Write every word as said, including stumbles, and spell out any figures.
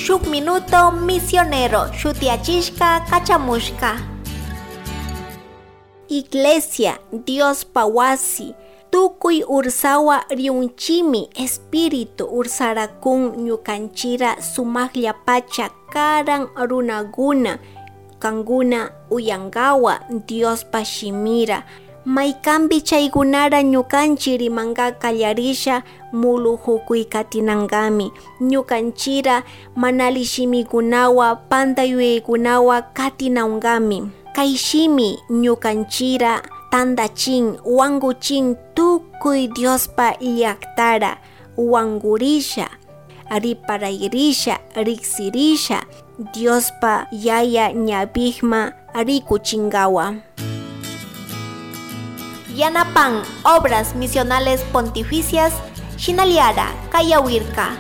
Shuk minuto misionero shutiachishka kachamushka. Iglesia, Diospa wasi, tukuy ursawa riunchimi. Espíritu ursarakun ñukanchira sumakllapacha karan runaguna, kankuna uyankawa Diospa shimira. Maykanpi chaykunara ñukanchi rimanka kallarisha, mulujukuy katinankami. Ñukanchira mana alli shimikunawa, panta yuyaykunawa katinankami. Kay shimi ñukanchira tandachin, wankuchin tukuy Diospa llaktara, wankurisha, riparayrisha, riksirisha, Diospa Yaya ñawikma rikuchinkawa. Yanapan Obras Misionales Pontificias, shinallara kayawirka.